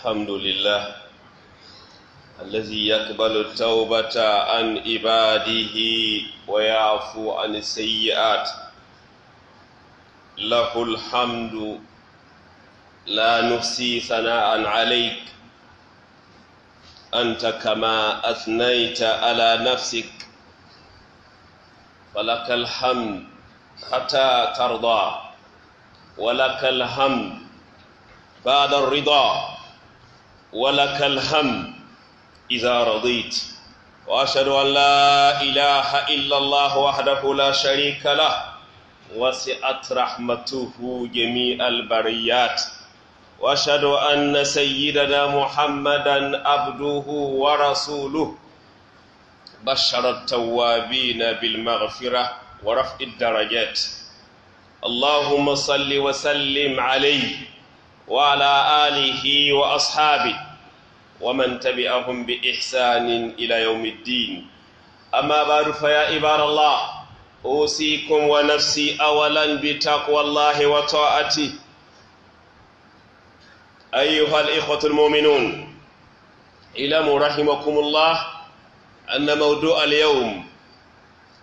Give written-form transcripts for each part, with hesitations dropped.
الحمد لله الذي يقبل التوبة عن عباده ويعفو عن السيئات. له الحمد، لا نحصي ثناء عليك، أنت كما أثنيت على نفسك، فلك الحمد حتى ترضى، ولك الحمد بعد الرضا، ولك الحمد إذا رضيت. وأشهد أن لا إله إلا الله وحده لا شريك له، وسعت رحمته جميع البريات. وأشهد أن سيدنا محمدا عبده ورسوله، بشر التوابين بالمغفرة ورفع الدرجات. اللهم صل وسلم عليه وعلى آله وأصحابه ومن تبعهم بإحسان إلى يوم الدين. أما بعد، فيا عباد الله، أوصيكم ونفسي أولا بتقوى الله وطاعته. أيها الإخوة المؤمنون، اعلموا رحمكم الله أن موضوع اليوم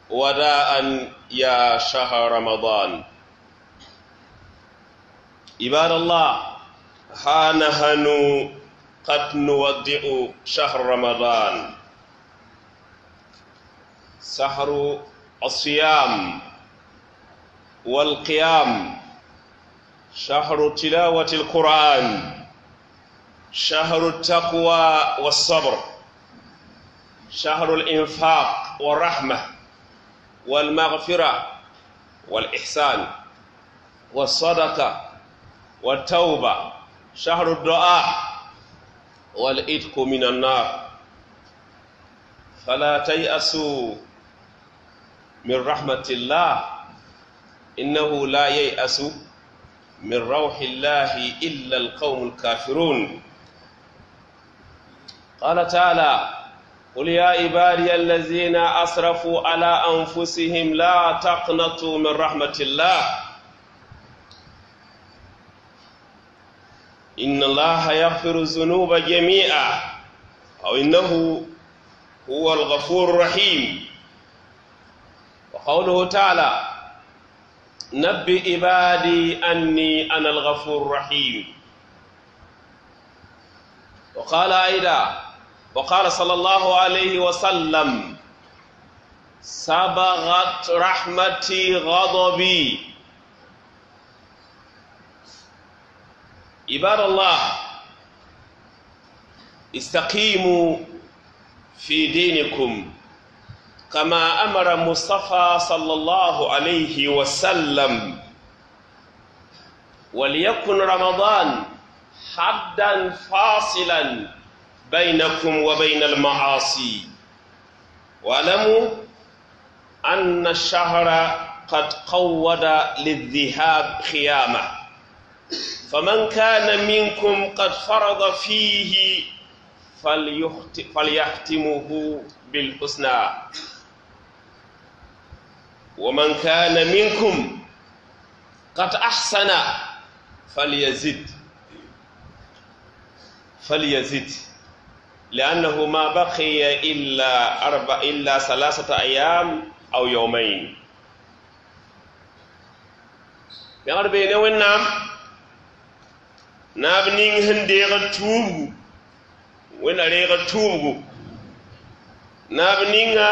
وداء يا شهر رمضان. عباد الله، ها نحن قد نودع شهر رمضان، شهر الصيام والقيام، شهر تلاوة القرآن، شهر التقوى والصبر، شهر الإنفاق والرحمة والمغفرة والإحسان والصدقة والتوبة، شهر الدعاء والإتق من النار. فلا تيأسوا من رحمة الله، إنه لا ييأس من روح الله إلا القوم الكافرون. قال تعالى: قل يا عبادي الذين أسرفوا على أنفسهم لا تقنطوا من رحمة الله، إن الله يغفر الذنوب جميعا، أو إنه هو الغفور الرحيم. وقوله تعالى: نبئ عبادي أني أنا الغفور الرحيم. وقال أيضا، وقال صلى الله عليه وسلم: سبغت رحمتي غضبي. عباد الله، استقيموا في دينكم كما أمر المصطفى صلى الله عليه وسلم، وليكن رمضان حدا فاصلا بينكم وبين المعاصي. واعلموا أن الشهر قد قود للذهاب خيامه، فمن كان منكم قد فرض فيه فليختمه بالحسنى، ومن كان منكم قد أحسن فليزد، لأنه ما بقي إلا 3 أيام أو يومين. Pẽgr bee ne Wẽnnaam naab ning sẽn deegd tuubgu, Wẽnna reegd tuubgu, naab ninga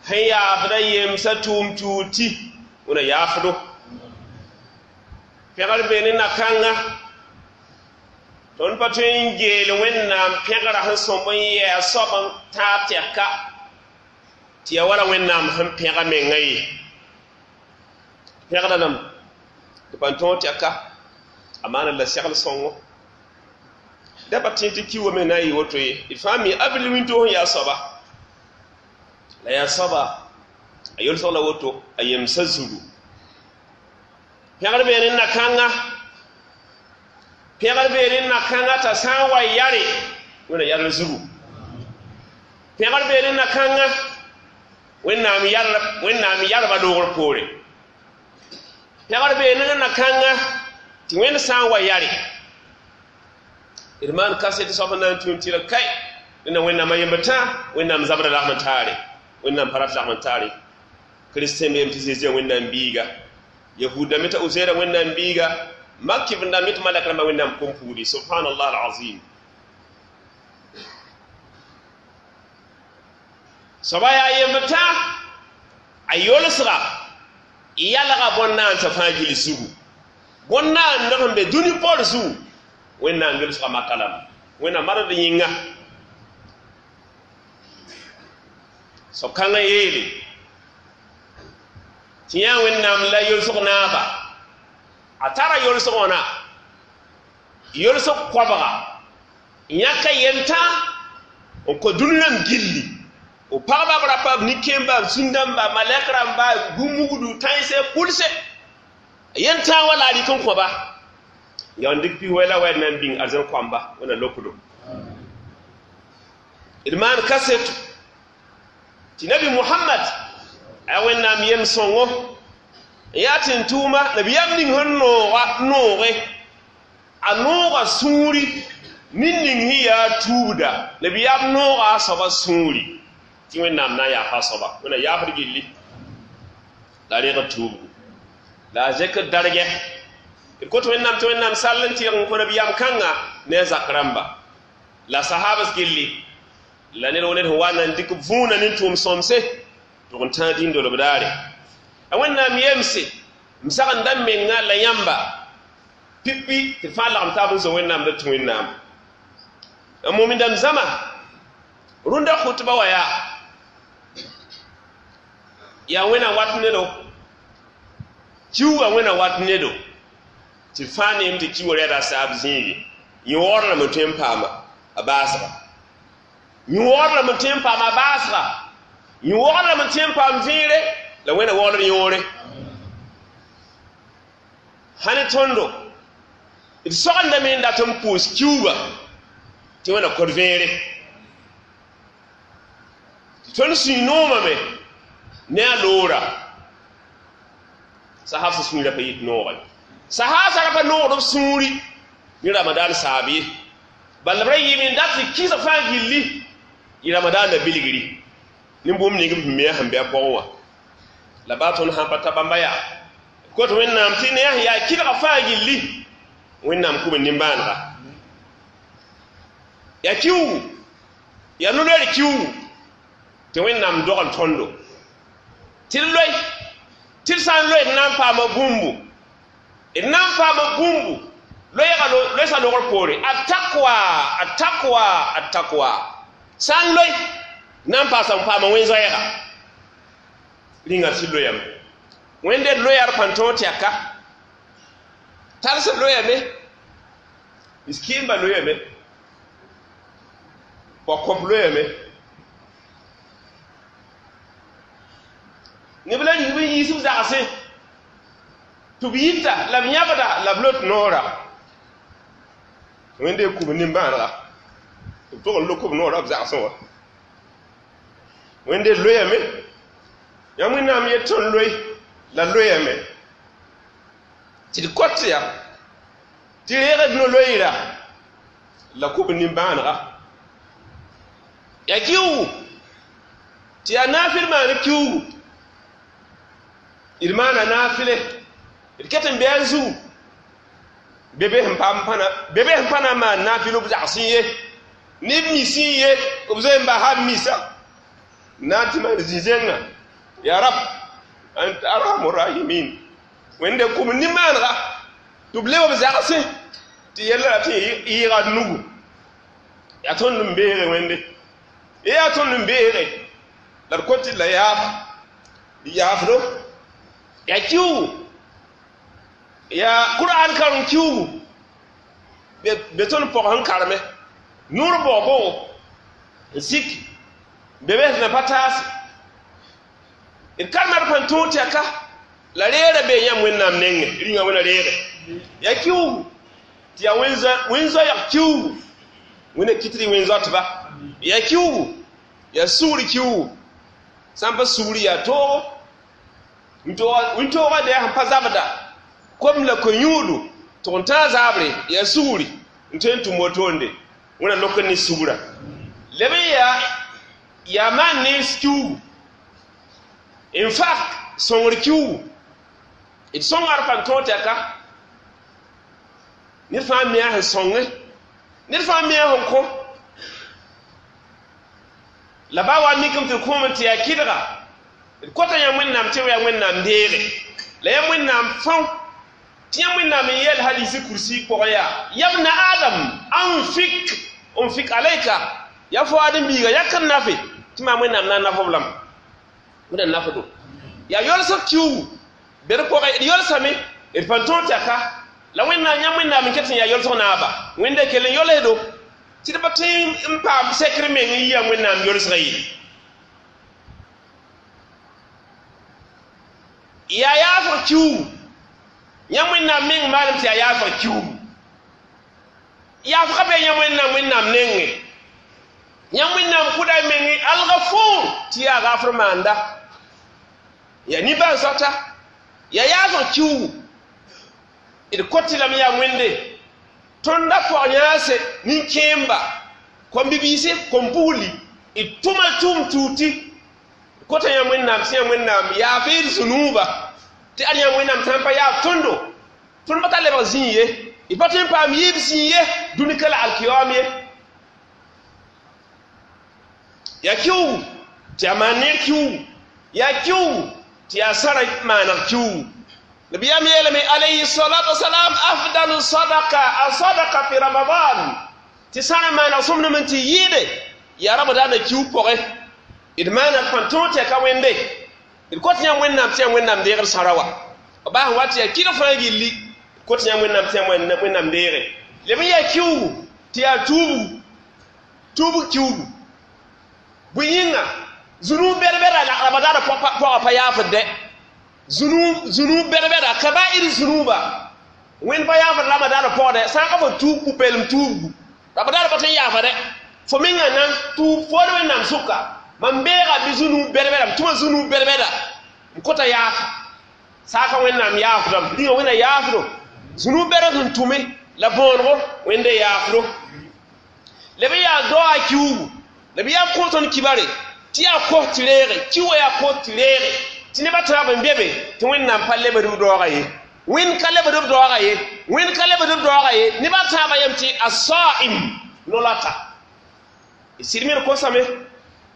sẽn yaafda yemsã tʋʋm tuud tɩ Wẽnna yaafdo. Pẽgr bee ne na-kãnga tõnd pa tõe n geel Wẽnnaam pẽgra sẽn sõmb n yɛɛ a soab n tãab tɛka tɩ yaa wala Wẽnnaam sẽn pẽga menga ye. Pẽgda lame tɩ pa tõog tɛka a maana la segl sõngo. Da pa tẽ tɩ ki wa me na n yɩ woto ye. D fãa mi avril wĩntoog sẽn yaa soaba, la yaa soaba a yolsg la woto a yemsã zugu. Pẽgr bee ne na-kãnga, pẽgr bee ne na-kãnga t'a sã n wa yare Wẽnna yadl zugu. Pẽgr bee ne na-kãnga Wẽnnaam yarba doogr poore. Pẽgr bee ne na-kãnga tɩ Wẽnd sã n wa yare. D maan kaset soab n na n tũ n tɩrg kai dẽnda Wẽnnaam a yembr tãa, Wẽnnaam zabra lagm n taare, Wẽnnaam pa rat lagm n taare. Kiristẽ beem tɩ Zezi a Wẽnnaam biiga, yahud dãmb t'a Uzair a Wẽnnaam biiga, mak kɩf n dãmb tɩ malɛk rãmbã Wẽnnaam kom-puudi. Subhanallah alazim. Soaba yaa yembr tãa, a yolsga yalga bõn-naandsã fãa gill zugu, bõn-naand sẽn be dũni paoor zugu, Wẽnnaam yolsga maka lame, Wẽnnaam mard yĩnga. Soab kãngã yeele tɩ yã Wẽnnaam la yolsg naaba, a tara yolsg wãna yolsg koabga yãka yentã n kõ dũni rãmb gilli, b pagba, b rapa, b nin-kẽemba, b zĩn-dãmba, malɛk rãmba, bũmb-mugdu, tãense, kulse, yentã wa la a rɩk n kõba ya n dɩk pis-wɛ la wɛd na n bĩng arzẽn koamba Wẽnna lokdo. D maan kaseto tɩ nabi Mohamad a Wẽnnaam yem sõngo n yaa tɩ n tʋʋma nabiyaam ning sẽn nooga nooge, a nooga sũuri nin ning sẽn yaa tuubda, nabiyaam nooga a soaba sũuri tɩ Wẽnnaam na n yaafa a soaba, Wẽnna yaafd gilli la a rẽgd tuubgu la a zekd dargɛ. D kot Wẽnnaam tɩ Wẽnnaam sall n tɩrg n kõ nabiyaam kãnga ne a zak rãmba la sahabas gilli la ned wo ned sẽn wa na n dɩk võona ne tʋʋm sõmse tʋg n tãag dĩn-dolb daare. A Wẽnnaam yemse m sagenda m menga la yãmba pipi tɩ fãa lagem taab n zo Wẽnnaam la tũ Wẽnnaam. A mumindame zãma rũndã khutba wa yaa Wẽnna wat nedo, kiuugã Wẽnna wat nedo tɩ fãa neem tɩ kiuugã rɛda a saab zĩigi yõogr lame tõe n paama a baasga, yõogr lame tõe n paama a baasga, yõogr lame tõe n paam vẽere la Wẽnna waoolr yõore. Sã ne tõndo d sogendame n dat n pʋʋs kiuugã tɩ Wẽnna kod vẽere, tɩ tõnd sũy noomame ne a loora. Sahab sã sũurã pa yit noogã, sahab sã ra pa noogd b sũuri ne Ramadan saab ye, bala b ra yɩɩm n dat tɩ kɩsg fãa gilli yɩ Ramadan na bilgri ne bũmb ning b sẽn me a sẽn be a pʋgẽ wã. La baa tõnd sãn pa ta bãmba yaa kot Wẽnnaam tɩ ne a sẽn yaa kɩlga fãa gilli Wẽnnaam kub n nimbãanega. Yaa kiuugu, yaa no-loeer kiuugu tɩ Wẽnnaam dogl tõndo tɩ d loe, tɩ d sã n loe d na n paama bũmbu, d na n paama bũmbu loeega loesa logr poore, a takwa, a takwa, a takwa. Sã n loe na n paasa n paama wẽn-zoɛɛga rĩnga tɩ loyame. Wẽnde d loya d pãn tõog tɛka tals loyame, miskĩmba loyame, pɔkõp loyame, neb la rĩng b n yiis b zagsẽ tɩ b yita la b yãbda la b lot noora. Wẽnde kub nimbãanega tɩ b tog n lok b noora b zagsẽ wã. Wẽnde loyame, yãmb Wẽnnaam yet tõnd loe la loyame tɩ d kot ya tɩ reegd no-loeera la kub nimbãanega. Yaa kiuugu tɩ yaa naafɩl maan kiuugu, d maana naafɩle, d ket n bɩ a zugu bebe sẽn paam pãna, bebe sẽn pa na n maan naafɩl b zagsẽ ye, ne b misẽ ye, b zoe n basa b misa na n tɩ maan zĩ-zẽngã. Ya rab anta arhamu rahimin. Wẽnde kub nimbãanega tɩ b leb b zagsẽ tɩ yella ra tɩ yɩɩga d nugu. Yaa tõnd n beege Wẽnde, yaa tõnd n beege la d kot tɩ la yaafa, d yaafdo. Yaa kiuugu, yaa Kur'an karem kiuugu be tõnd pɔg sẽn kareme noor baoog n sik be be sẽn pa taase d karema d pãn tõog tɛka la reera be yãmb Wẽnnaam nengẽ rĩnga Wẽnna reege. Yaa kiuugu tɩ yaa wẽn-zoɛɛg kiuugu, Wẽnna kɩt tɩ wẽn-zoatba. Yaa kiuugu, yaa sugr kiuugu, sã n pa sugri yaa toogo wĩntoogã dɛɛ sẽn pa zabda kom la ko-yũudu tʋg n tãag zabre, yaa sugri N tõe n tʋm wotoonde wẽna lok n ne sugra leb n yaa yaa maan nens kiuugu infak sõngr kiuugu d sõnga d pa tõog tɩ ka ned fãa mi a sẽn sõnge ned fãa mi a sẽn kõ la ba wa mikame tɩ d kõom tɩ yaa kɩdga d kota yã wẽnnaam tɩ yaa wẽnnaam deege la yaa wẽnnaam fão tɩ yã wẽnnaam n yɛl hadisi kursi pʋgẽ yaa yabna adam anfik unfik alayka ya fo adem biiga yak n nafe tɩ maam wẽnnaam na n naf b lame wẽnnaam nafdo yaa yolsg kiuugu be d pʋgẽ d yolsame d pa tõog tɩ ka la wẽnnaam yãmb wẽnnaam n ket n yaa yolsg naaba wẽnde kell n yolsdo tɩ d pa tõe n paam sekr meng n yɩa wẽnnaam yolsga ye yaa yaafg kiuugu yãmb wẽnnaam meng maalem tɩ yaa yaafg kiuugu yaafga be yãmb wẽnnaam wẽnnaam nengẽ yãmb wẽnnaam kʋda menge algafur tɩ yaa gaafr maanda yaa nimbãan-soata yaa yaafg kiuugu d kot lame yaa wẽnde tõnd a pɔg yãase nin-kẽemba kom-bibiisi kom-pugli d tʋma tʋʋm tuuti kota yãmb wẽnnaam tɩ yãmb wẽnnaam yaaf d zũnuuba tɩ ad yãmb wẽnnaam sã n pa yaaf tõndo tõnd pa tar lebg zĩig ye d pa tõe n paam yɩɩb zĩig ye dũni ka la alkiyoam ye yaa kiuugu tɩ yaa maan neer kiuugu yaa kiuugu tɩ yaa sara maaneg kiuugu nabiyam yeelame alayhi salatu wasalam afdalu sadaka a sadaka fi ramadan tɩ sãra maaneg sõmdem n tɩ yɩɩde yaa ramadaana kiuug pʋgẽ d maaneg pãn tõog tɩ ya ka wẽnde d kot yãmb wẽnnaam tɩ yãmb wẽnnaam deegd sãra wa b baa sẽn wa tɩ yaa kɩdg fãa gilli d kot yãmb wẽnnaam tɩ yãmb wẽnnaam deege leb n yaa kiuugu tɩ yaa tuubu tuubg kiuugu bõe yĩnga zũnuu bɛd-bɛda la ramadaana pɔgã pa yaafd dɛ zũnuu bɛd-bɛda kabair zũnuuba wẽnd pa yaafd ramadaana pɔgdɛ sã n ka fo tuub pʋ-peelem tuubgu ramadaana pa tõe n yaafa dɛ fo mengã nan tuub food wẽnnaam sʋka mam beega bɩ zũnuu bɛd-bɛda m tʋma zũnuu bɛd-bɛda n kota yaafa saaka wẽnnaam yaafdame rĩnga wẽnna yaafdo zũnuu bɛd sẽn tʋme la võonego wẽnde yaafdo leb n yaa doa kiuugu la bɩ yaa kõ tõnd kibare tɩ yaa kos tɩ reege ki wa yaa kos tɩ reege tɩ nebã tãab n be be tɩ wẽnnaam pa lebd b daooga ye wẽnd ka lebd b daooga ye wẽnd ka lebd b daooga ye nebã tãabã yem tɩ asaim no-lata d sɩd me d kosame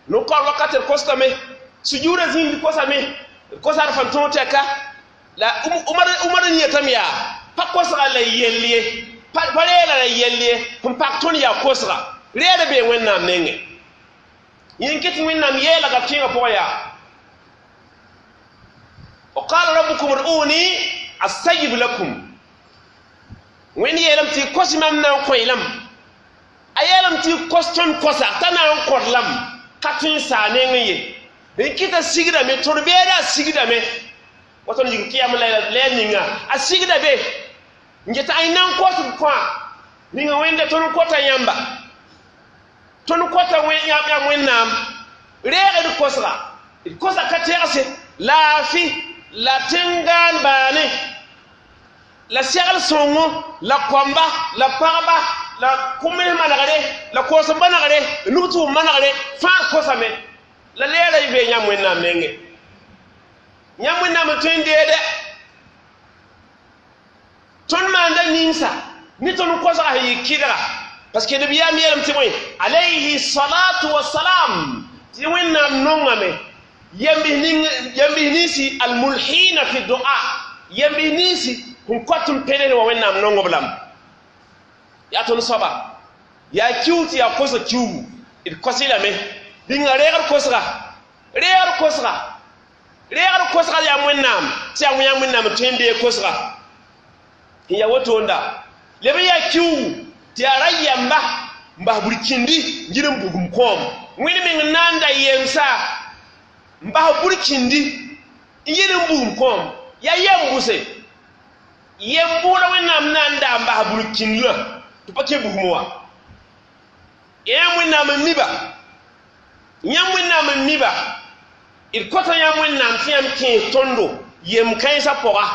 no-kaoor wakat d kosdame sujuudã zĩig d kosame d kosa d fãn tõog tɛka la Umar n yetame yaa pa kosga la yell ye pa reela la yell ye sẽn pak tõnd yaa kosga reeda bee wẽnnaam nengẽ yẽn ket wẽnnaam yeelga kẽngã pʋgẽ yaa وقال ربكم ادعوني أستجب لكم wẽnd yeelame tɩ kos mam na n kõ lame a yeelame tɩ kos tõnd kosa t'a na n kõt lame ka tõe n saa nengẽ ye n kɩta sigdame tõd beeda a sigdame wa tõnd yik kɩyam la ya ninga a sigda be n get ay na n kos b kõa ninga wẽnde tõnd kota yãmba tõnd kota yãmb wẽnnaam reeg d kosga d kosa ka tegse laafɩ la tẽngaan baane la segl sõngo la koamba la pagba la kʋms manegre la koos n manegre la nug-tʋʋm manegre fãa kosame la leera y bee yãmb wẽnnaam nengẽ yãmb wẽnnaam n tõe n deede tõnd maanda ninsa ne tõnd kosga sẽn yɩ kɩdga parce que nabiyaam yeelame tɩ bõe alayhi salatu wasalam tɩ wẽnnaam nongame yembis ninsi almulhina fi dua yembis ninsi sẽn kot n pẽnes wa wẽnnaam nongob lame yaa tõnd soaba yaa kiu tɩ yaa kosg kiuugu d kos-y lame rĩnga reegd kosga reegd kosga reegd kosga yaa wẽnnaam tɩ yaa yãmb wẽnnaam n tõe n deeg kosga n yaa wotoonda leb n yaa kiuugu tɩ yaa ra yɛmba n bas burkindi n yir n bugum kõom wẽnd meng n na n da yemsa n bas burkindi n yir n bugum kõom yaa yɛm bʋse yɛm bʋʋda wẽnnaam na n da n bas burkindã tɩ pa kẽ bugum wã yãmb wẽnnaam n miba yãmb wẽnnaam n miba d kota yãmb wẽnnaam tɩ yãmb kẽes tõndo yem kãensã pʋga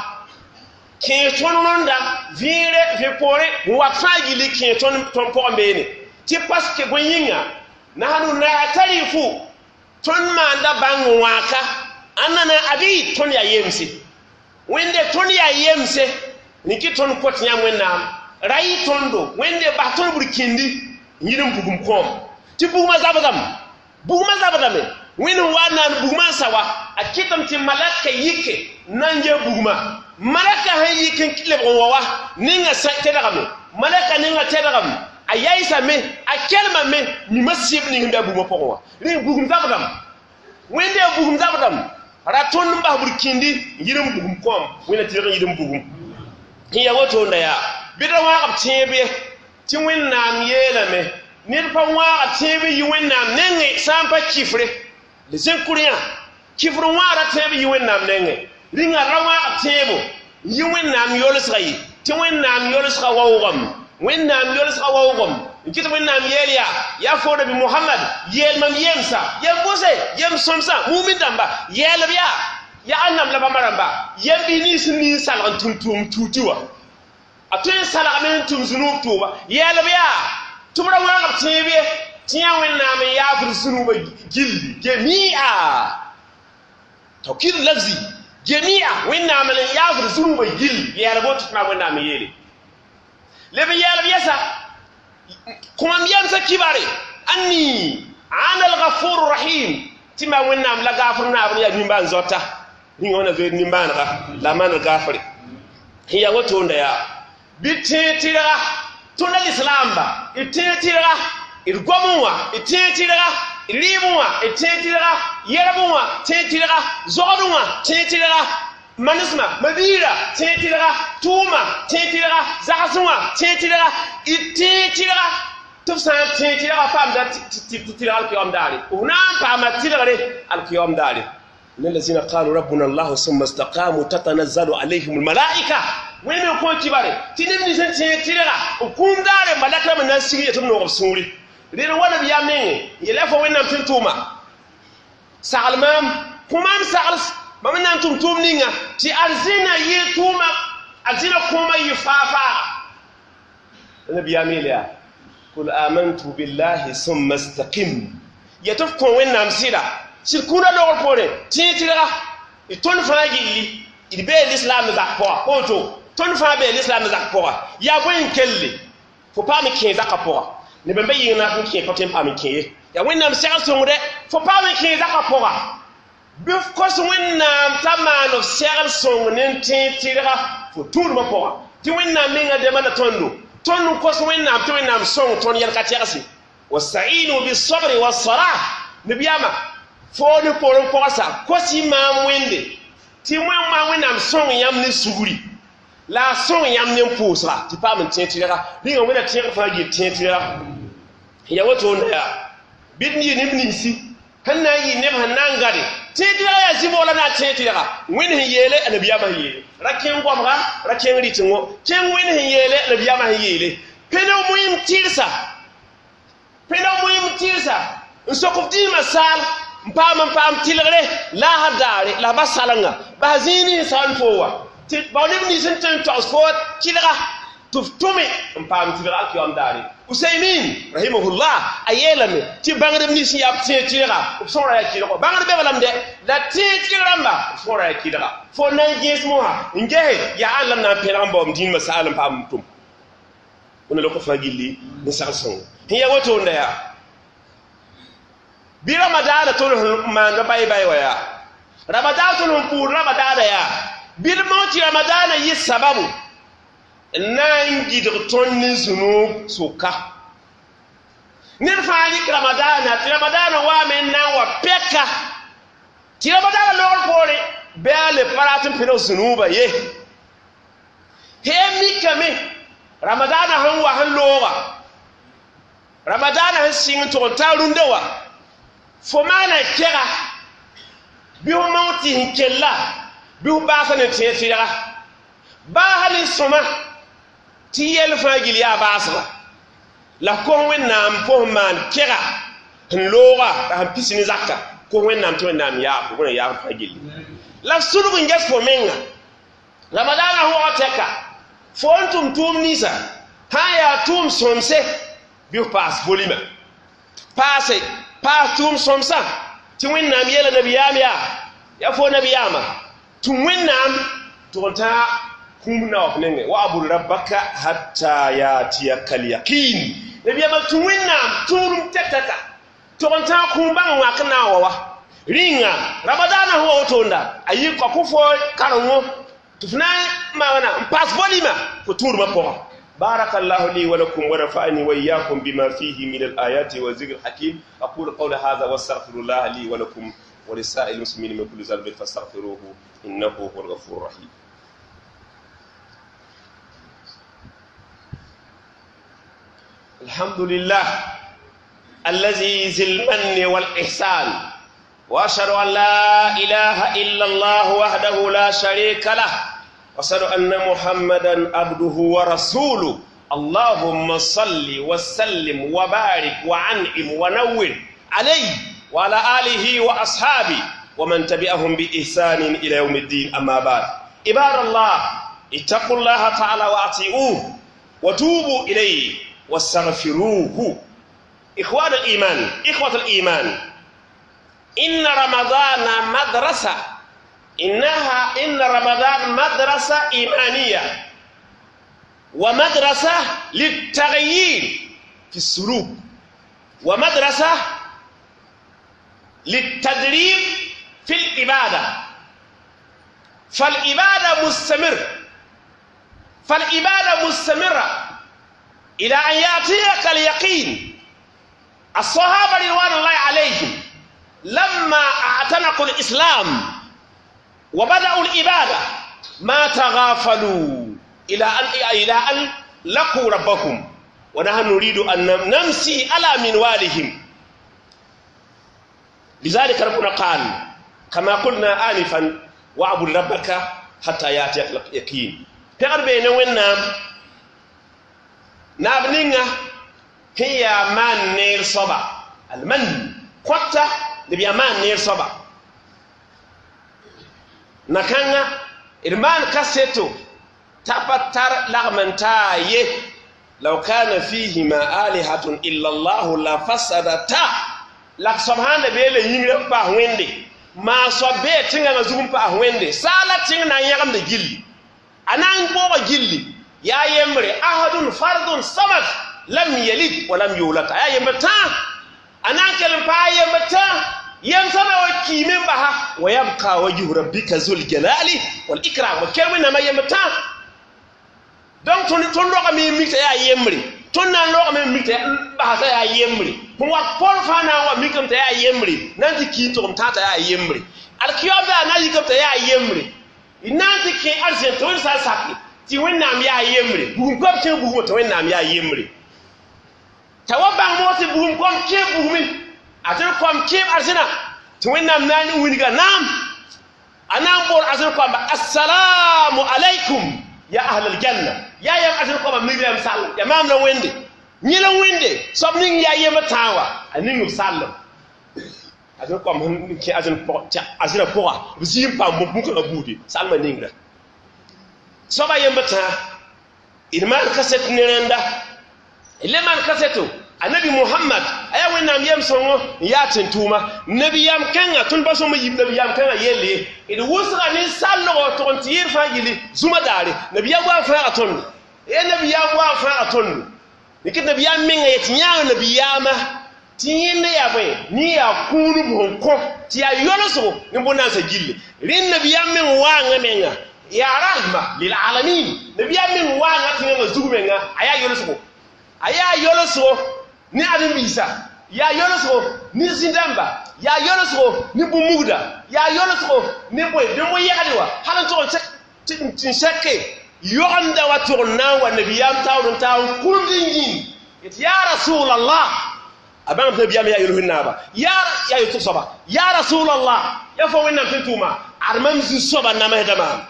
Kẽes tõnd rõnda vẽere vẽ poore n wat fãa gilli kẽes tõnd tõnd pʋgẽ beene tɩ paske bõe yĩnga nahnu natarifu tõnd maanda bãng wãaka ãnna abid tõnd yaa yemse wẽnde tõnd yaa yemse rẽk tõnd kot yãmb wẽnnaam ra yɩ tõndo wẽnde bas tõnd burkĩndi n yɩl n bugum kõom tɩ bugmã zabdame bugmã zabdame wẽnd n wa n naan bugmã n sa wa a kɩtame tɩ malaka yike n na n gee bugmã malaka sẽn yik n lebg n wa wa ninga tedgame malaka ninga tedgame a yaɩsame a kelmame mima sɩb ning sẽn be a bugmã pʋgẽ wã rẽ bugum zabdame wẽnde a bugum zabdame ra tõnd n bas burkĩndi n yɩl n bugum kõom wẽnna tɩrg n yɩl n bugum n ya woto na yaa bɩ ra wãag b tẽeb ye tɩ wẽnnaam yeelame ned pa wãaga tẽeb n yi wẽnnaam nengẽ sã n pa kifre les incroyants kifr wãagra tẽeb yi wẽnnaam nengẽ rĩnga ra wãag tẽebo n yi wẽnnaam yolsga ye tɩ wẽnnaam yolsga waoogame wẽnnaam yolsga waoogame n kɩt wẽnnaam yeel yaa yaa fo nabi mohamad yeel mam yemsa yem bʋse yem sõmsã mumin dãmba yeelb yaa yaa ãnnam la bãmba rãmba yem bɩ nins n nin salg n tʋm tʋʋm tuuti wã a tõe n salgame n tʋm zũnub tʋʋba yeelb yaa tɩ b ra wãag b tẽeb ye tɩ yã wẽnnaam n yaafd zũnubã gilli gemia tawkid lafzi gemia wẽnnaam n yaafd zũnubã gilli yeelb woto tɩ maa wẽnnaam n yeele leb n yeelb yɛsa kõ mam yemsã kibare anni ana alghafuru rahim tɩ maa wẽnnaam la gaafr naabr yaa nimbãan zoata rĩnga wẽna zoeed nimbãanega la maanr gaafre n yaa woto nda yaa bɩ tẽeg tɩrga tõnd lislaamba d tẽeg tɩrga d gomẽ wã d tẽeg tɩrga d rɩɩbẽ wã d tẽeg tɩrga yɛrbẽ wã tẽeg tɩrga zogdẽ wã tẽeg tɩrga manesmã mabiirã tẽeg tɩrga tʋʋma tẽeg tɩrga zagsẽ wã tẽeg tɩrga d tẽeg tɩrga tɩ b sã n tẽeg tɩrga paamda tɩ tɩrg alkiyoom daare f na n paama tɩrgre alkiyoom daare. إن الذين قالوا ربنا الله ثم استقاموا تتنزل عليهم الملائكة وين من كون كبار تنم نسن تيرا وكون دار ملائكة من ناس سيري يتم نوغ سوري لين وانا بيامين يلفوا وين نم تنتوما سالمام كمام سالس ما من نم توم نينغا تي أرزينا يتوما أرزينا كوما يفافا أنا بيامين يا قل آمنت بالله ثم استقم يتفكون وين نم سيرا sɩd kũuna logr poore tẽeg tɩrga d tõnd fãa gilli d bee lislaam zak pʋga woto tõnd fãa bee lislaam zak pʋga yaa bõe n kelle fo paam n kẽe zakã pʋga neb n be yɩng na n kẽ pa tõe n paam n kẽ ye yaa wẽnnaam segl sõngdɛ fo paam n kẽe zakã pʋga bɩ f kos wẽnnaam t'a maan f segl sõng ne n tẽeg tɩrga fo tũudmã pʋga tɩ wẽnnaam menga dema la tõndo tõnd n kos wẽnnaam tɩ wẽnnaam sõng tõnd yɛl ka tɛgse wastainu bisabri wassalah nebiyaama fo ne poorẽ pɔgsa kosi maam wẽnde tɩ wẽn maa wẽnnaam sõng yãmb ne sugri la a sõng yãmb ne n pʋʋsga tɩ paam n tẽeg tɩrga rĩnga wẽnna tẽeg fãa gil tẽeg tɩrga ya woto nda yaa bɩ d yɩ neb ninsi sẽn na n yɩ neb sẽn na n gade tẽeg tɩrga yaa zĩ-boola na n tẽeg tɩrga wẽnd sẽn yeele a nabiyaamã sẽn yeele ra kẽng goamga ra kẽng rɩtengõ kẽng wẽnd sẽn yeele a nabiyaamã sẽn yeele pẽneg moɩm tɩrsa pẽneg moɩm tɩrsa n sok f dĩimã saal n paam n paam tɩlgre laasr daare la ba salenga bas zĩig nins sã n fo wa tɩ bao neb nins n tõe n togs fo tɩlga tɩ f tʋme n paam tɩlga alkiyoom daare usaymin rahimahullah a yeelame tɩ bãngdb nins n yaa b tẽeg tɩlga b sõora yaa kɩlgo bãngd be balame dɛ la tẽeg tɩlg rãmba b sõora yaa kɩlga fo na n gẽes mosã n gese yaa ãn la m na n pẽneg n baoom dĩinmã saal n paam n tʋm wẽnna lok fãa gilli ne sagl sõngo sẽn yaa woto nda yaa bɩ ramadaana tõnd sẽn maanda bay-bay wa yaa ramadan tõnd sẽn pʋʋd ramadaana yaa bɩ d mao tɩ ramadaana yɩ sababu n na n gɩdg tõnd ne zũnub sʋka ned fãa rɩk ramadaana tɩ ramadaana waame n na n wa pɛka tɩ ramadaana logr poore bɩ a le pa rat n pẽneg zũnuubã ye hee mikame ramadaana sẽn wa sẽn looga ramadaana sẽn sɩng n tʋg n taa rũndã wa fo maana kɛga bɩ fo mao tɩ sẽn kella bɩ fo baasa ne tẽeg tɩrga baasa ne sõma tɩ yɛl fãa gill yaa baasga la kos wẽnnaam fo sẽn maan kɛga sẽn looga la sẽn pis ne zaka kos wẽnnaam tɩ wẽnnaam yaaf wẽna yaaf fãa gilli la sulg n ges fo menga Ramadana wʋgã tɛka fo n tʋm tʋʋm ninsã sã n yaa tʋʋm sõmse bɩ f paas volima paase paas tʋʋm sõmsã tɩ Wẽnnaam yeela nabiyaam yaa ya fo nabiyaamã tɩ Wẽnnaam tʋg n tã kũum na wa f nengẽ wa'bud rabbaka hatta yatiyaka lyaqin nabiyaamã tɩ Wẽnnaam tũudum tɛk-tɛka tʋg n tã kũum bãng wãk n na n wa wa rĩnga ramadaana sẽn wa wotonda a yɩ kɔ fo karengo tɩ f na n maana n paas volima fo tũudmã pʋgã. بارك الله لي ولكم ونفعني وإياكم بما فيه من الآيات والذكر الحكيم. أقول قول هذا واستغفر الله لي ولكم ولسائر المسلمين من كل ذنب فاستغفروه إنه هو الغفور الرحيم. الحمد لله الذي ذي المن والإحسان، وأشهد أن لا إله إلا الله وحده لا شريك له، وأشهد أن محمدا عبده ورسوله. اللهم صل وسلم وبارك وعنعم ونور عليه وعلى آله وأصحابه ومن تبعهم بإحسان إلى يوم الدين. أما بعد، عباد الله، اتقوا الله تعالى وأطيعوه وتوبوا إليه واستغفروه. إخوان الإيمان، إخوة الإيمان، إن رمضان مدرسة، إن رمضان مدرسة إيمانية ومدرسة للتغيير في السلوك ومدرسة للتدريب في العبادة. فالعبادة مستمر، فالعبادة مستمرة إلى أن يأتيك اليقين. الصحابة رضوان الله عليهم لما اعتنقوا الإسلام وبدأوا العبادة ما تغافلوا إلى أن لقوا ربهم، ونحن نريد أن نمشي على منوالهم. لذلك ربنا قال كما قلنا آنفا: واعبد ربك حتى يأتيك اليقين. تقربين وين نابنينا هي من نير صبا المن قطة نبي من نير صبا نكانا إرمان كاسيتو تبتر لغمنتاي لو كان فيهما آلهة إلا الله لفسدتا. La سبحان بيل يمر با ويندي ما صبي تيغا زوم با ويندي سالا تيغ نا يغم دي جيلي انا نبو جيلي يا يمري احد فرد صمد لم يلد ولم يولد. يا يمتا انا كلم با يمتا يمسنا وكيمن بها ويبقى وجه ربك ذو الجلال والإكرام. وكلمنا ما يمتا donc ton loga mi mikta ya yemri ton nan loga mi mikta ba ta ya yemri pon wa pol fa na wa mikam ta ya yemri nanti ki to ta ta ya yemri al kiyoba na yikam ta ya yemri nanti ki arzen to sa saki ti wennam ya yemri bugum kom ke bugum to wennam ya yemri ta wa bang mo ti bugum kom ke bugumi atel kom ke arzina ti wennam nani winiga nam anam bor azel kom assalamu alaikum ya ahlal janna ya yam azel kom migrem sall ya mam la wende ni la wende sob ning ya yema tawa aning sall azel kom ki azel po ta azira poa zim pa mo bu ko budi salma ningra soba yemba ta irman kaset nerenda ileman kaseto anabi Muhammad aya wennam yem songo ya tentuma nabi yam kanga tun baso mo yib nabi yam kanga yelle e de wusra ni sallo to on tir fa gili zuma dare nabi yam wa fa aton e nabi yam wa fa aton ni kit nabi yam menga yet nyaa nabi yama tiyinde ya boy ni ya kunu bon ko ti ya yoloso ni bona sa gille rin nabi yam men wa nga menga ya rahma lil alamin nabi yam men wa nga tinga zugumenga aya yoloso aya yoloso ni adam isa ya yoloso ni zindamba ya yoloso ni bumuda ya yoloso ni boy de mo yagadiwa halan to tin shekke yonda wa tourna wa nabiyam tawun tawun kundin it ya rasulullah abang nabiyam ya yolohin naba ya ya yutusoba ya rasulullah ya fo wenna tintuma armam zu soba na mahdama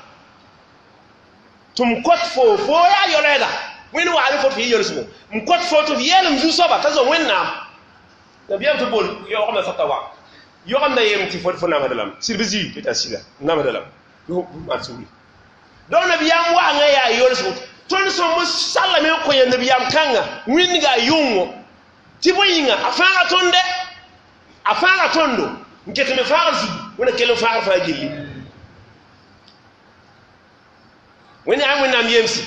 tum kot fo fo ya yoleda wen wa ali fo fi yoloso m kot fo to yelum zu soba tazo wenna nabiyam to bol yo xamna fatawa yo xamna yem ti fo fo na madalam sirbizi ti tasila na madalam yo ma suri Donc nabiyaam wa'angã yaa yolsgo. Tõnd sõmb sallame n kõ ya nabiyaam kãnga wĩndga yʋngo tɩ bõe yĩnga a fãaga tõnd dɛ, a fãaga tõndo n ket me fãagr zugu wẽna kell n fãagr fãa gilli. Wẽnd yaa Wẽnnaam yemsi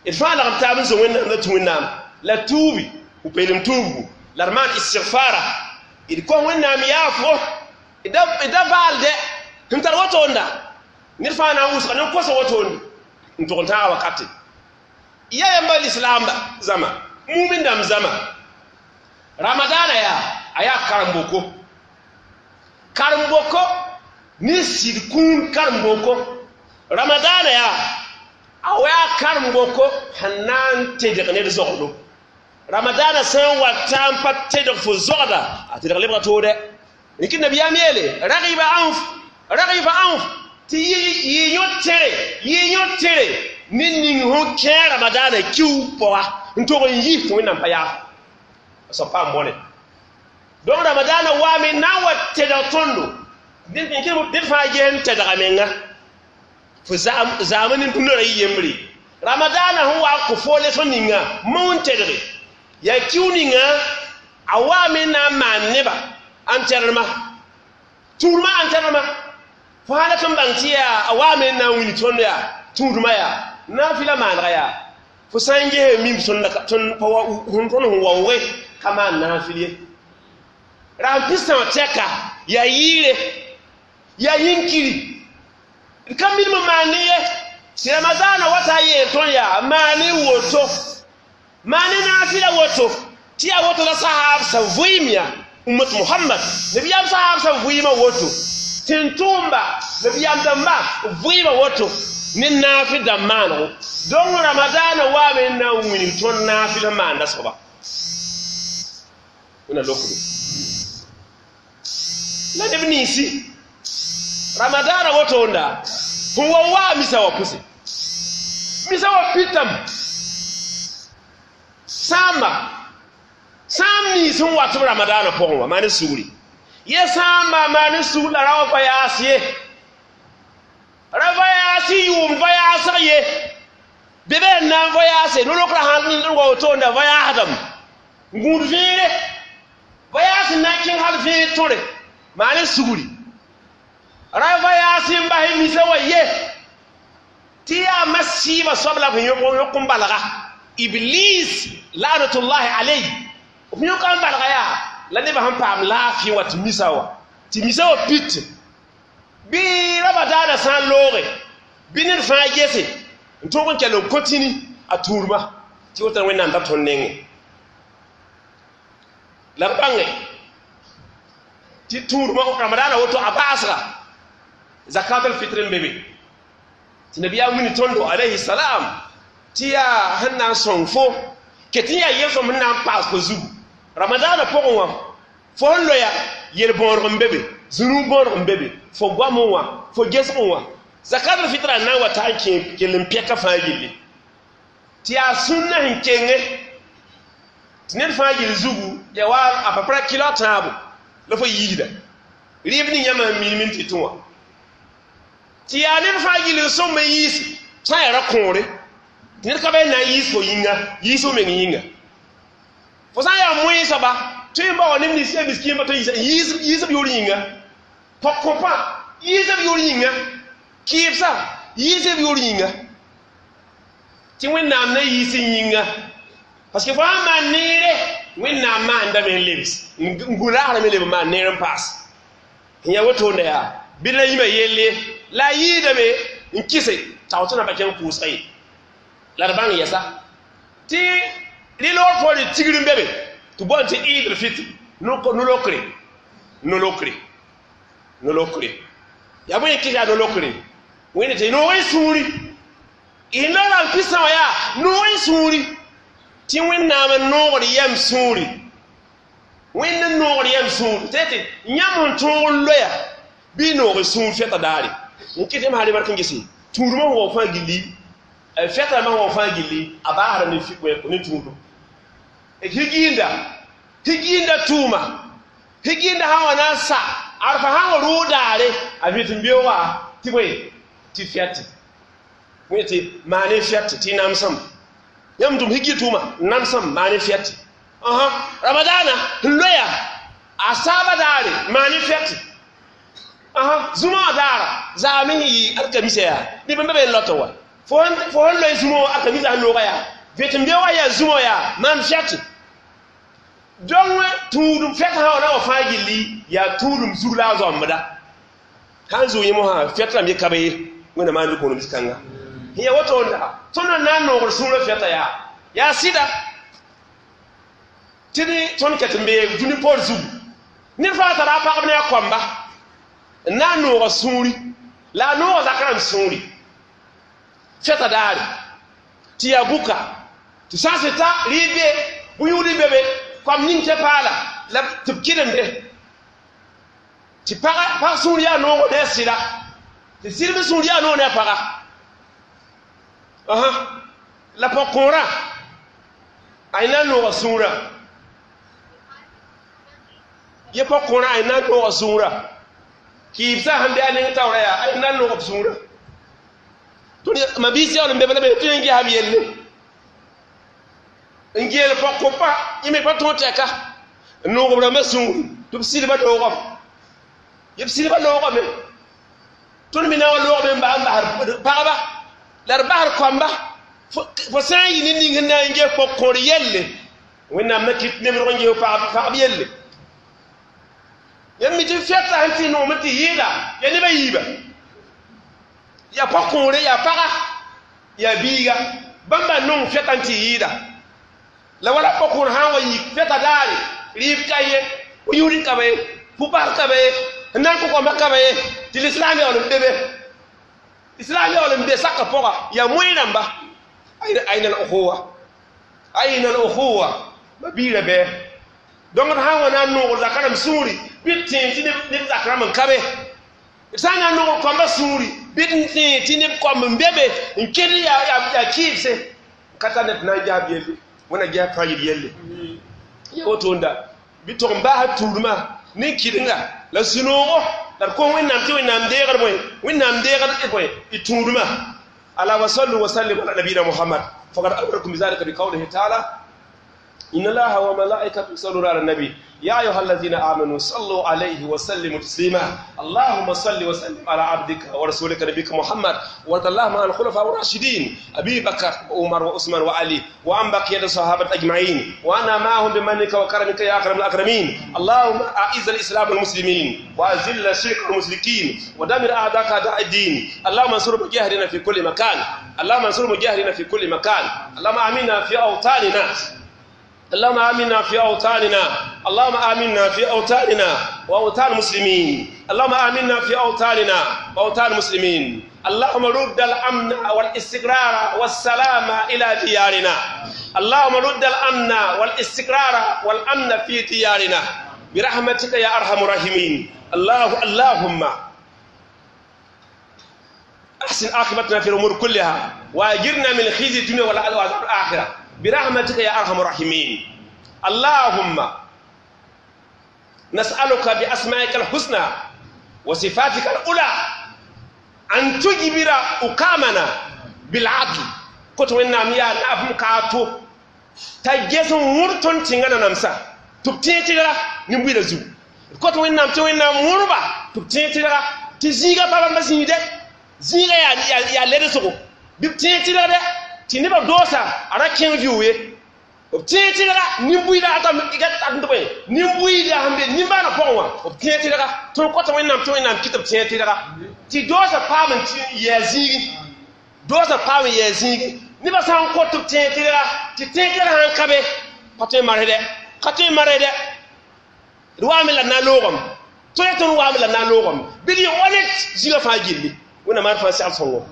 d fãa lagm taab n zo Wẽnnaam la tũ Wẽnnaam la tuubi peelem tuubgu la d maan istigfara d kos Wẽnnaam yaafgo d da vaalde sẽn tar wotoonda ned fãa na n wʋsga ne kosa wotoonde n tʋg n tãaga wakate. Ya yamba lislaamba zãma mumin dãmb zãma ramadana yaa a yaa karem-boko karem-boko ne sɩd kũun karem-boko ramadana yaa a yaa karem-boko sẽn na n tedg ned zogdo. Ramadana sã n wa ta n pa tedg fo zogda a tedg lebga toode rɩk nabiyaam yeele ragiba anf ragiba anf tɩ yɩ yõ tere yɩ yõ tere ne ning fõ kẽ ramadana kiu pʋga n tog n yi tɩ Wẽnnaam pa yaaf a soab paam bõne. Donc ramadana waame na n wa tedg tõndo ned fãa ges n tedga menga fo zaam ne dũnã ra yɩ yembre. Ramadana sẽn wa n kõ fo lesg ninga maoon tedge yaa kiu ninga a waame na n maan neba enterrement tũudmã enterrement fo sã la tɩ n bãng tɩ yaa a waame n na n wilg tõnd yaa tũudmã yaa naafɩla maanega yaa fo sã n ges mim tõnd tõnd sẽn waooge ka maan naafɩl ye ra n pɩsã wã tɛka yaa yɩɩre yaa yĩnkiri d ka minim n maan ne ye tɩ ramadaana wata a yeel tõnd yaa maane woto maane naafɩla woto tɩ yaa woto la sahaabsã vɩɩm yaa ummat Muhammad nabiyaam sahaabsã vɩɩmã woto tɩ n tʋʋmba nabiyaam dãmba vɩɩmã woto ne naafɩ dãmb maanego. Donc ramadaana waame n na n wilg tõnd naafɩl sẽn maanda soaba wẽna lokdo la neb ninsi ramadana wotonda sẽn wa waa misa wa pʋse misa wa pitame sãamba sãam nins sẽn wat b ramadana pʋgẽ wã maan sugri ye sãamba maan sugr la ra wa pa yaas ye ra va yaas yʋʋm va yaasg ye bɩ be n na n va yaase no-rokra sãn n wa wotoonda va yaasdame n gũud vẽere va yaas n na n kẽng hal vẽer tõre maan sugri ra va yaas n bas misa wa ye tɩ yaa masiibã soab la f yõk n balga Iblis lanatullahi alayhi f yõk n balga yaa la nebã sẽn paam laafɩ wã tɩ misa wa tɩ misa wa pit bɩ ramadaana sã n looge bɩ ned fãa gese n tõog n kell n kotini a tũudmã tɩ wotã Wẽnnaam ta tõnd nengẽ la b bãnge tɩ tũudmã ramadaana woto a baasga zakat al-fitr n be be tɩ nabiyaam wilg tõndo alayhi salam tɩ yaa sẽn na n sõng fo ket n yaa yel-sõm sẽn na n paas fo zugu ramadaana pʋgẽ wã fo sẽn loya yel-bõodg n be be zũnug bõodg n be be fo goamẽ wã fo gesgẽ wã zakat al-fitra n na n wa ta n kẽ kell n pɛka fãa gilli tɩ yaa sũnna sẽn kenge tɩ ned fãa gill zugu ya wa a peu près kilo tãabo la fo yiisda rɩɩb ning yãmb sẽn minim n tɩ tũ wã tɩ yaa ned fãa gill n sõmb n yiisi sã n yaa ra kõore tɩ ned ka ba n na n yiis fo yĩnga yiis fo meng yĩnga fo sã n yaa moẽ soaba tõe n bao neb nins yaa miskiimba tɩ yiis b yʋʋr yĩnga pɔk-kõpã yiis b yʋʋr yĩnga kɩɩbsã yiis b yʋʋr yĩnga tɩ Wẽnnaam na yiis n yĩnga parce que fo sãn maan neere Wẽnnaam maandame n lebs n gũ laasrame leb n maan neer n paas n yaa wotoonda yaa bɩ la yĩmã yelle la a yɩɩdame n kɩse tao tɩ na pa kẽng pʋʋsga ye la d bãng yɛsa tɩ rɩ loor poore tigr n be be tɩ boond tɩ Eid al-Fitr no-lokre no-lokre no-lokre yaa bõe kɩs yaa no-lokre wẽnd tɩ noog n sũuri y la rãmb pɩsã wã yaa noog n sũuri tɩ Wẽnnaam n noogd yɛm sũuri Wẽnd n noogd yɛm sũuri tɩ tɩ yãmb sẽn tõog n loya bɩ noog sũur fɛta daare n kɩt m sã remark n gese tũudmã sẽn wao fãa gilli fɛta rãmbã sẽn wao fãa gilli a baasda ne tũudum higiinda higiinda tʋʋma higiinda sã n wa na n sa arfa sã n wa rʋʋg daare a vɩt n beooga tɩ bõe tɩ fɛtɩ Wẽti maane fɛt tɩ namsem yãmb tʋm higi tʋʋma namsem maane fɛt aha ramadana n loya a saaba daare maane fɛt aha zũma daara zaame sẽn yɩ alkamisa yaa neb n be be n lɔtɔ wa fo sẽn loe zũma wã alkamisa sẽn looga yaa vẽt n be wa yaa zũma yaa maan fɛt dõng tũudum fɛt sã wa na wa fãa gilli yaa tũudum zug la a zoambda sãn zʋg yẽ mosã fɛt rãmb ye ka be ye wẽnna maan kõonem zĩ-kãnga ya woto nda tõnd na n noogr sũurã fɛta yaa yaa sɩda tɩ tõnd ket n bee dũni poor zugu ned fãa tara a pagb ne a koamba n na n nooga sũuri la a nooga zak rãmb sũuri fɛta daare tɩ yaa bʋka tɩ sã n sɩ ta rɩɩb be bʋ-yũud be be koam ning tɩ paala la tɩ b kɩdemde tɩ pag sũur yaa noogo ne a sɩda tɩ sɩdb sũur yaa noog ne a paga aha la pɔg-kõorã a na n nooga sũurã ye pɔg-kõorã a na n nooga sũurã kɩɩbsã sẽn be a neng taoorã yaa a na n noog b sũurã tõnd mabiis yaool n be la be tõe n ges b yelle n geel pɔg-kõpa yẽ me pa tõog tɛka n noog b rãmbã sũuri tɩ b sɩdbã doogame ye b sɩdbã loogame tõnd me na wa loogame n bas n basd pagba la d basd koamba fo sã n yɩ ne ning sẽn na n ges pɔg-kõor yelle wẽnnaam na kɩt neb rog n ges pagb yelle yãmb mi tɩ fɛta sẽn tɩ noom tɩ yɩɩda yaa neb a yiiba yaa pɔg-kõore yaa paga yaa biiga bãmba nong fɛta n tɩ yɩɩda la wala pɔg-kõor sã n wa yik fɛta daare rɩɩb ka ye yũud ka be ye pʋ-bas ka be ye n na n kõ koambã ka be ye tɩ lislaam yaool n be be islam yaool n be saka pʋga yaa moẽ rãmba aina al-ukhuwa aina al-ukhuwa ma biirã bɩ donc d sã n wa na n noogr zaka rãmb sũuri bɩ d tẽeg tɩ neb zak rãmb n ka be d sã n na n noogr koambã sũuri bɩ d tẽeg tɩ neb koamb n be be n ked yaa kɩɩbse ka tar ned tɩ na n ges b yelle wẽna ges fãa yɩl yelle ya woto-nda bɩ tog n baasd tuudmã ne kɩdenga la sũ-noogo la d kos wẽnnaam tɩ wẽnnaam deegd bõe wẽnnaam deegd bõe d tũudmã ala wa sallu wa sallim ala nabiyina muhammad faqad amarakum bizalika biqawlihi taala إن الله وملائكته يصلون على النبي يا أيها الذين آمنوا صلوا عليه وسلموا تسليما اللهم صل وسلم على عبدك ورسولك نبيك محمد وارض اللهم عن الخلفاء الراشدين أبي بكر وعمر وعثمان وعلي وعن بقية الصحابة أجمعين وأنا معهم بمنك وكرمك يا أكرم الأكرمين اللهم أعز الإسلام والمسلمين وأذل الشرك والمشركين ودمر أعداءك أعداء الدين اللهم انصر مجاهدين في كل مكان اللهم انصر مجاهدين في كل مكان اللهم آمنا في أوطاننا اللهم آمنا في أوطاننا اللهم آمنا في أوطاننا وأوطان المسلمين اللهم آمنا في أوطاننا وأوطان المسلمين اللهم رد الأمن والاستقرار والسلام إلى ديارنا اللهم رد الأمن والاستقرار والأمن في ديارنا برحمتك يا أرحم الراحمين الله اللهم أحسن عاقبتنا في الأمور كلها وأجرنا من خزي الدنيا والعذاب الآخرة برحمتك يا أرحم الراحمين اللهم نسألك بأسمائك الحسنى وصفاتك الأولى أن تجبر أقامنا بالعدل كنت وين يا نافم كاتو تجسم ورتون تيغانا نمسا تبتي نمبي زو كنت وين نام تي نام وربا تبتي تيغا تزيغا بابا مسيده zĩiga yaa ledsgo bɩ b tẽeg tɩlgdɛ tɩ nebã doosa a ra kẽng vɩʋ ye b tẽeg tɩlga nin-buiida bõe nin-buiida sẽn be nimbãanã pʋgẽ wã b tẽeg tɩlga tõnd kota wẽnnaam tɩ wẽnnaam kɩ tɩ b tẽeg tɩlga tɩ doosa paam n yɛɛ zĩigi doosa paam n yɛɛ zĩigi nebã sã n kot tɩ b tẽeg tɩlga tɩ tẽeg tɩlga sãn ka be pa tõe n marsdɛ ka tõe n marsdɛ d waame la d na n loogame tõe tõnd waame la d na n loogame bɩ d yɩ honnête zĩigã fãa gilli wẽnnaam maan fãa segl sõngo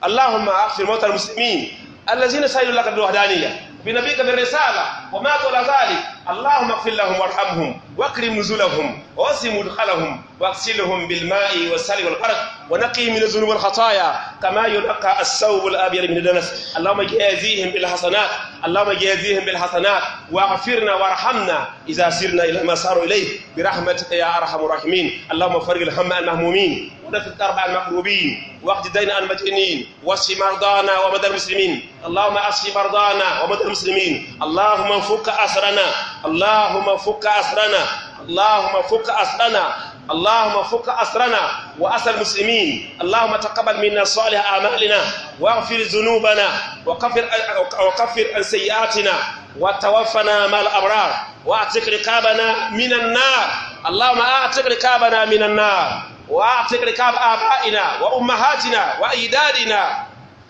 اللهم اغفر موتى المسلمين الذين سألوا لك بالوحدانية بنبيك بالرسالة وماتوا على ذلك. اللهم اغفر لهم وارحمهم واكرم نزلهم ووسع مدخلهم واغسلهم بالماء والثلج والبرد ونقهم من الذنوب والخطايا كما ينقى الثوب الابيض من الدنس. اللهم جازيهم بالحسنات، اللهم جازيهم بالحسنات، واغفرنا وارحمنا اذا سرنا الى ما ساروا اليه برحمتك يا ارحم الراحمين. اللهم فرج الهم عن المهمومين، ونفس الكرب عن المكروبين، واقض الدين عن المدينين، واشف مرضانا ومرضى المسلمين. اللهم اشف مرضانا ومرضى المسلمين. اللهم فك اسرنا، اللهم فك اسرنا، اللهم فك اسرنا، اللهم فك أسرنا وأسر المسلمين. اللهم تقبل منا صالح أعمالنا واغفر ذنوبنا وكفر عن سيئاتنا وتوفنا مع الأبرار واعتق رقابنا من النار. اللهم اعتق رقابنا من النار، واعتق رقاب آبائنا وأمهاتنا وأجدادنا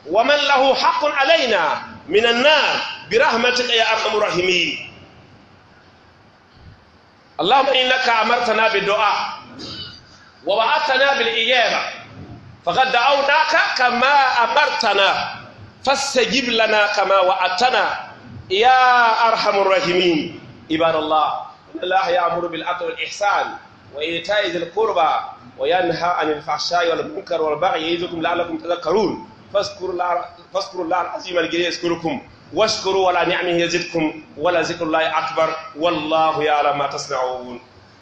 ومن له حق علينا من النار برحمتك يا أرحم الراحمين. اللهم إنك أمرتنا بالدعاء ووعدتنا بالإجابة، فقد دعوناك كما أمرتنا، فاستجب لنا كما وعدتنا يا أرحم الراحمين. عباد الله، إن الله يأمر بالعدل والإحسان وإيتاء ذي القربى وينهى عن الفحشاء والمنكر والبغي يعظكم لعلكم تذكرون. فاذكروا الله، فاذكروا الله العظيم الجليل يذكركم، واشكروا على نعمه يزدكم، ولذكر الله أكبر، والله يعلم ما تصنعون.